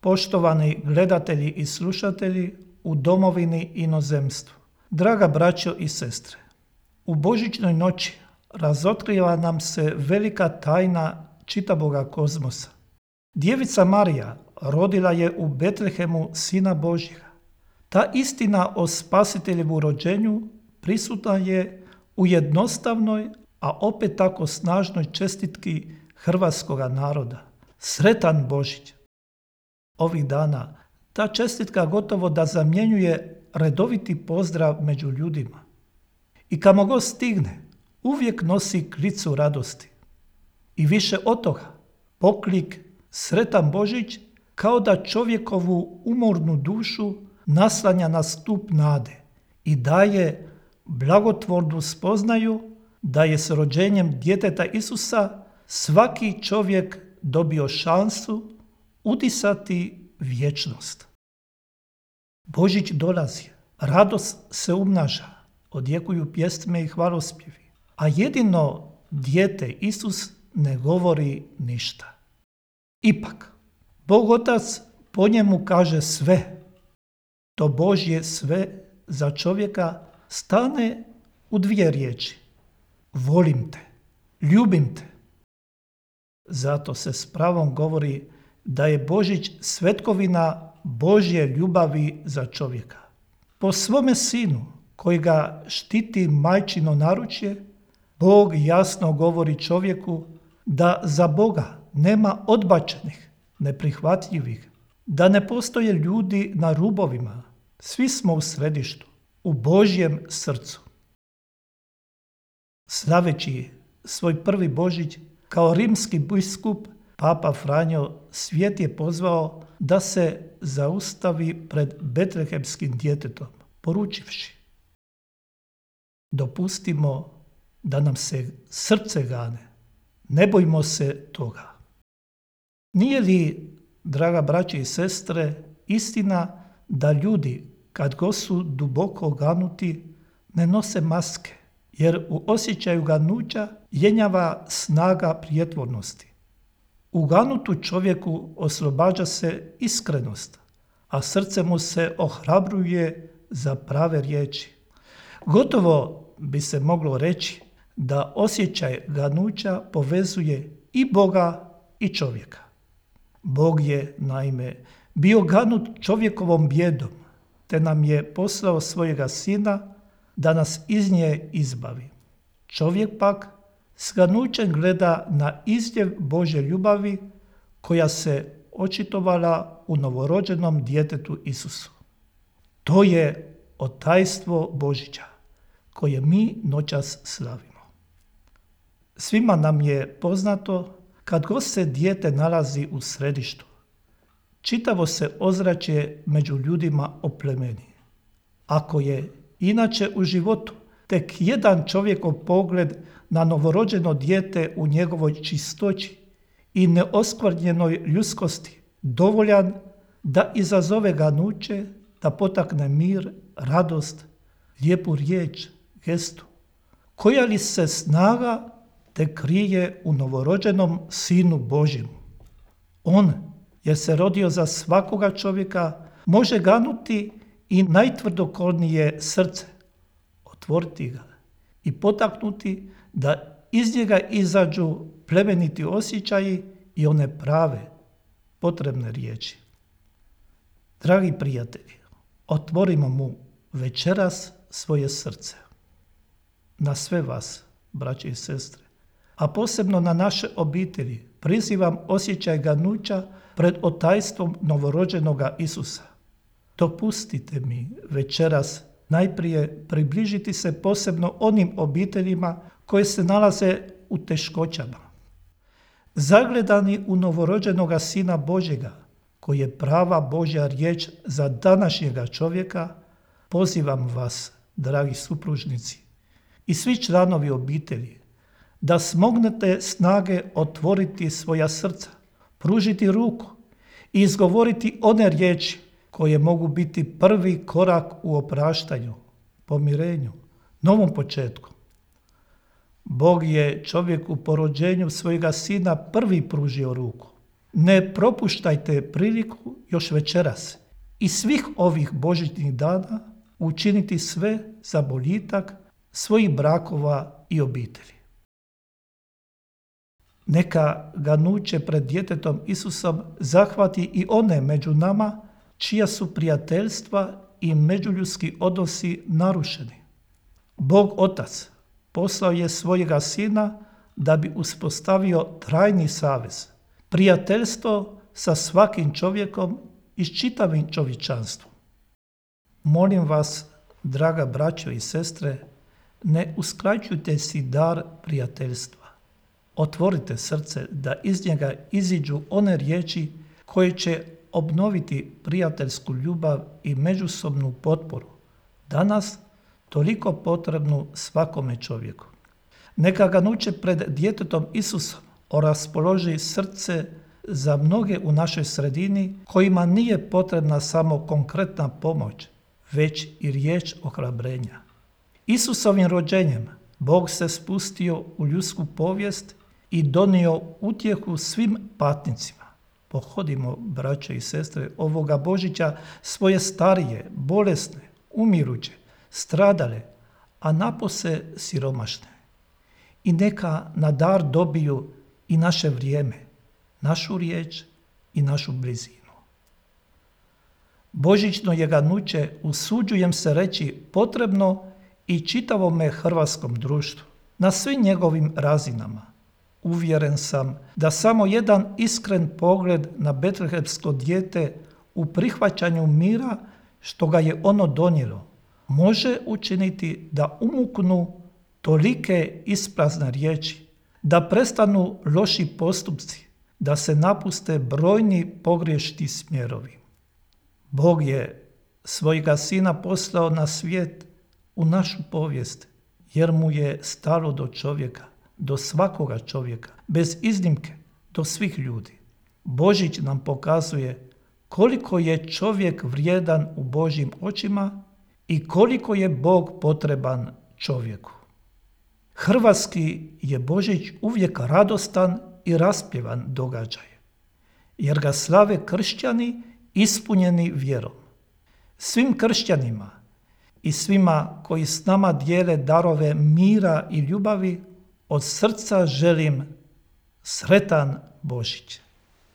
poštovani gledatelji i slušatelji u domovini i inozemstvu, draga braćo i sestre, u božićnoj noći razotkriva nam se velika tajna čitavoga kozmosa. Djevica Marija rodila je u Betlehemu Sina Božjega. Ta istina o Spasiteljevu rođenju prisutna je u jednostavnoj, a opet tako snažnoj čestitki hrvatskoga naroda. Sretan Božić! Ovih dana ta čestitka gotovo da zamjenjuje redoviti pozdrav među ljudima. I kamo god stigne, uvijek nosi klicu radosti. I više od toga, poklik Sretan Božić kao da čovjekovu umornu dušu naslanja na stup nade i daje blagotvornu spoznaju da je s rođenjem djeteta Isusa svaki čovjek dobio šansu udisati vječnost. Božić dolazi, radost se umnaža, odjekuju pjesme i hvalospjevi, a jedino dijete Isus ne govori ništa. Ipak, Bog Otac po njemu kaže sve. To Božje sve za čovjeka stane u dvije riječi. Volim te, ljubim te. Zato se s pravom govori da je Božić svetkovina Božje ljubavi za čovjeka. Po svome sinu koji ga štiti majčino naručje, Bog jasno govori čovjeku da za Boga nema odbačenih, neprihvatljivih, da ne postoje ljudi na rubovima. Svi smo u središtu, u Božjem srcu. Slaveći svoj prvi Božić kao rimski biskup, Papa Franjo svijet je pozvao da se zaustavi pred betlehemskim djetetom, poručivši: dopustimo da nam se srce gane, ne bojmo se toga. Nije li, draga braće i sestre, istina da ljudi, kad god su duboko ganuti, ne nose maske, jer u osjećaju ganuća jenjava snaga prijetvornosti. U ganutu čovjeku oslobađa se iskrenost, a srce mu se ohrabruje za prave riječi. Gotovo bi se moglo reći da osjećaj ganuća povezuje i Boga i čovjeka. Bog je, naime, bio ganut čovjekovom bijedom, te nam je poslao svojega sina da nas iz nje izbavi. Čovjek pak s ganućem gleda na izljev Božje ljubavi koja se očitovala u novorođenom djetetu Isusu. To je otajstvo Božića koje mi noćas slavimo. Svima nam je poznato kad god se dijete nalazi u središtu, čitavo se ozračje među ljudima oplemeni. Ako je inače u životu tek jedan čovjekov pogled na novorođeno dijete u njegovoj čistoći i neoskvrnjenoj ljudskosti dovoljan da izazove ganuće, da potakne mir, radost, lijepu riječ, gestu, koja li se snaga te krije u novorođenom Sinu Božjem. On, jer se rodio za svakoga čovjeka, može ganuti i najtvrdokornije srce, otvoriti ga i potaknuti da iz njega izađu plemeniti osjećaji i one prave, potrebne riječi. Dragi prijatelji, otvorimo mu večeras svoje srce. Na sve vas, braće i sestre, a posebno na naše obitelji, prizivam osjećaj ganuća pred otajstvom novorođenoga Isusa. Dopustite mi večeras najprije približiti se posebno onim obiteljima koje se nalaze u teškoćama. Zagledani u novorođenoga Sina Božjega, koji je prava Božja riječ za današnjega čovjeka, pozivam vas, dragi supružnici i svi članovi obitelji, da smognete snage otvoriti svoja srca, pružiti ruku i izgovoriti one riječi koje mogu biti prvi korak u opraštanju, pomirenju, novom početku. Bog je čovjeku po rođenju svojega sina prvi pružio ruku. Ne propuštajte priliku još večeras i svih ovih božićnih dana učiniti sve za boljitak svojih brakova i obitelji. Neka ganuće pred djetetom Isusom zahvati i one među nama čija su prijateljstva i međuljudski odnosi narušeni. Bog Otac poslao je svojega Sina da bi uspostavio trajni savez, prijateljstvo sa svakim čovjekom i s čitavim čovječanstvom. Molim vas, draga braćo i sestre, ne uskraćujte si dar prijateljstva. Otvorite srce da iz njega iziđu one riječi koje će obnoviti prijateljsku ljubav i međusobnu potporu, danas toliko potrebnu svakome čovjeku. Neka ganuće pred djetetom Isusom oraspoloži srce za mnoge u našoj sredini kojima nije potrebna samo konkretna pomoć, već i riječ ohrabrenja. Isusovim rođenjem Bog se spustio u ljudsku povijest i donio utjehu svim patnicima. Pohodimo, braćo i sestre, ovoga Božića svoje starije, bolesne, umiruće, stradale, a napose siromašne. I neka na dar dobiju i naše vrijeme, našu riječ i našu blizinu. Božićno je ganuće, usuđujem se reći, potrebno i čitavome hrvatskom društvu, na svim njegovim razinama. Uvjeren sam da samo jedan iskren pogled na betlehemsko dijete u prihvaćanju mira što ga je ono donijelo, može učiniti da umuknu tolike isprazne riječi, da prestanu loši postupci, da se napuste brojni pogrešni smjerovi. Bog je svojega Sina poslao na svijet u našu povijest, jer mu je stalo do čovjeka, do svakoga čovjeka, bez iznimke, do svih ljudi. Božić nam pokazuje koliko je čovjek vrijedan u Božjim očima i koliko je Bog potreban čovjeku. Hrvatski je Božić uvijek radostan i raspjevan događaj, jer ga slave kršćani ispunjeni vjerom. Svim kršćanima i svima koji s nama dijele darove mira i ljubavi od srca želim sretan Božić.